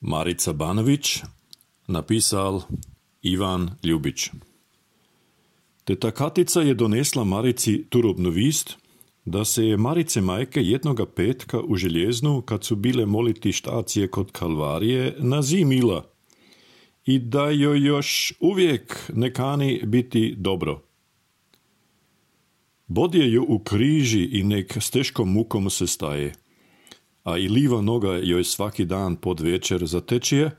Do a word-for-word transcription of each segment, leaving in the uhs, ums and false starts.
Marica Banović, napisal Ivan Ljubić. Teta Katica je donesla Marici turobnu vist, da se je Marice majke jednoga petka u Željeznu, kad su bile moliti štacije kod Kalvarije, nazimila i da joj još uvijek ne kani biti dobro. Bodje ju u križi i nek s teškom mukom se staje, a i liva noga joj svaki dan pod večer zatečije,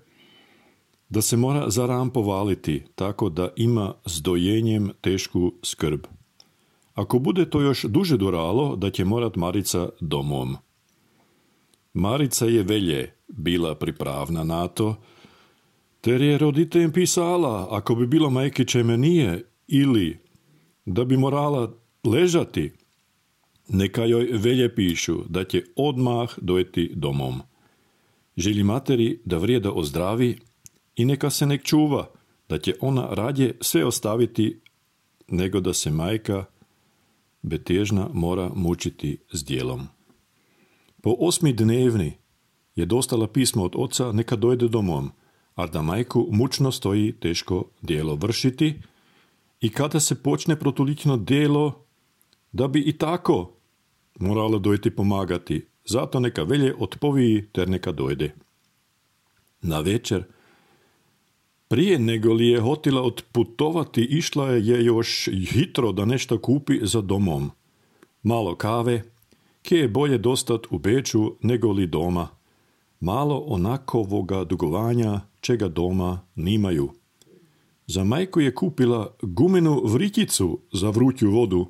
da se mora za ram povaliti, tako da ima s dojenjem tešku skrb. Ako bude to još duže duralo, da će morat Marica domom. Marica je velje bila pripravna na to, ter je roditeljem pisala, ako bi bilo majke me nije, ili da bi morala ležati, neka joj velje pišu da će odmah dojeti domom. Želi materi da vrijeda ozdravi i neka se nek čuva, da će ona radje sve ostaviti, nego da se majka betežna mora mučiti s dijelom. Po osmi dnevni je dostala pismo od oca neka dojde domom, a da majku mučno stoji teško dijelo vršiti i kada se počne protulično dijelo, da bi i tako morala dojeti pomagati, zato neka velje otpoviji ter neka dojde. Na večer, prije nego li je hotila otputovati, išla je još hitro da nešto kupi za domom. Malo kave, kje je bolje dostat u Beču nego li doma. Malo onakovoga dugovanja, čega doma nimaju. Za majku je kupila gumenu vriticu za vruću vodu,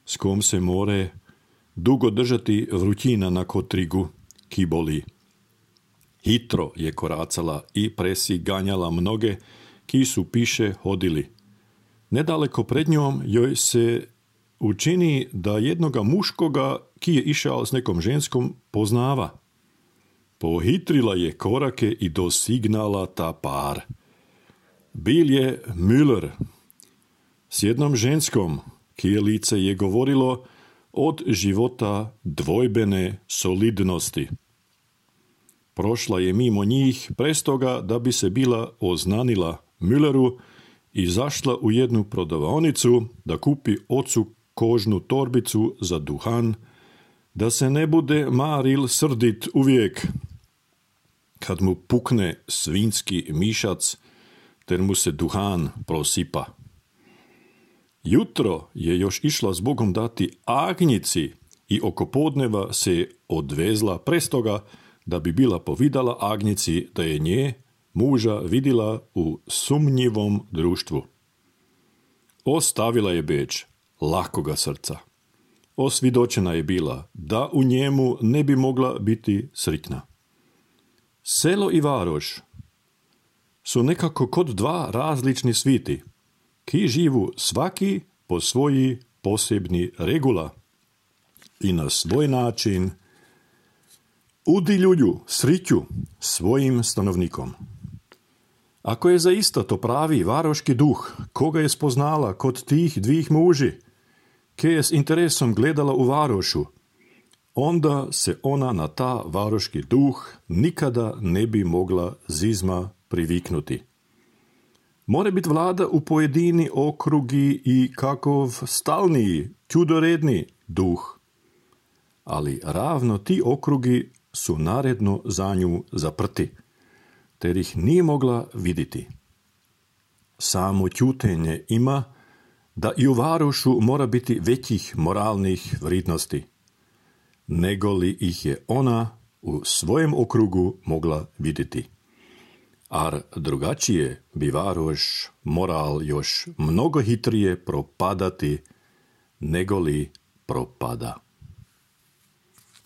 s kom se more dugo držati vrućina na kotrigu, ki boli. Hitro je koracala i presi ganjala mnoge, ki su piše hodili. Nedaleko pred njom joj se učini da jednoga muškoga, ki je išao s nekom ženskom, poznava. Pohitrila je korake i dosignala ta par. Bil je Müller s jednom ženskom, kije lice je govorilo od života dvojbene solidnosti. Prošla je mimo njih prestoga da bi se bila oznanila Mülleru i zašla u jednu prodavaonicu da kupi ocu kožnu torbicu za duhan, da se ne bude Maril srdit uvijek kad mu pukne svinski mišac, ter mu se duhan prosipa. Jutro je još išla zbogom dati agnjici i oko podneva se odvezla prestoga da bi bila povidala agnjici da je nje, muža, vidjela u sumnjivom društvu. Ostavila je Beč lakoga srca. Osvidočena je bila da u njemu ne bi mogla biti sritna. Selo i Varoš su nekako kod dva različni sviti, ki živu svaki po svoji posebni regula i na svoj način udiljuju sriću svojim stanovnikom. Ako je zaista to pravi varoški duh, koga je spoznala kod tih dvih muži, ke je s interesom gledala u Varošu, onda se ona na ta varoški duh nikada ne bi mogla zizma priviknuti. More bit vlada u pojedini okrugi i kakov stalniji, čudoredni duh. Ali ravno ti okrugi su naredno za nju zaprti, ter ih nije mogla vidjeti. Samo ćutenje ima da i u Varošu mora biti većih moralnih vrednosti, nego li ih je ona u svojem okrugu mogla vidjeti. Ar drugačije bi Varoš moral još mnogo hitrije propadati, nego li propada.